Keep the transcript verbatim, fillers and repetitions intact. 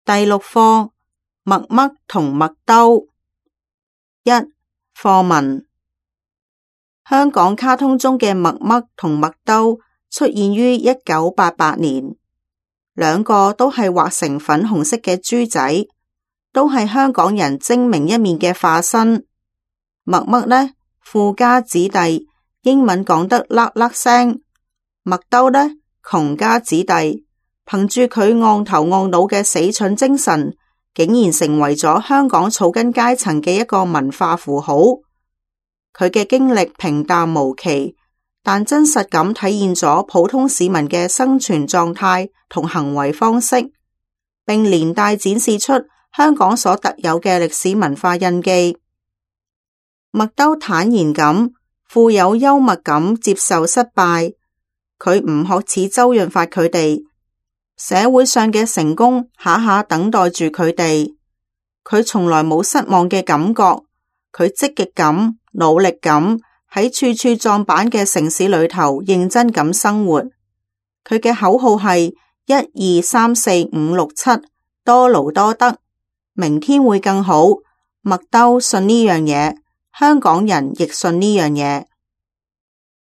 第六課，麥嘜同麥兜。一、課文。香港卡通中嘅麥嘜同麥兜出現於一九八八年，兩個都係畫成粉紅色嘅豬仔，都係香港人精明一面嘅化身。麥嘜呢，富家子弟，英文講得喇喇聲；麥兜呢，窮家子弟，憑住佢戇頭戇腦嘅死蠢精神，竟然成為咗香港草根階層嘅一個文化符號。佢嘅經歷平淡無奇，但真實咁體現咗普通市民嘅生存狀態同行為方式，並連帶展示出香港所特有嘅歷史文化印記。麥兜坦然咁、富有幽默感接受失敗，佢唔學似周潤發佢哋，社會上嘅成功下下等待住佢哋。佢從來冇失望嘅感覺，佢積極咁、努力咁喺處處撞板嘅城市裏頭認真咁生活。佢嘅口號係一二三四五六七，多勞多得，明天會更好。麥兜信呢樣嘢，香港人亦信呢樣嘢。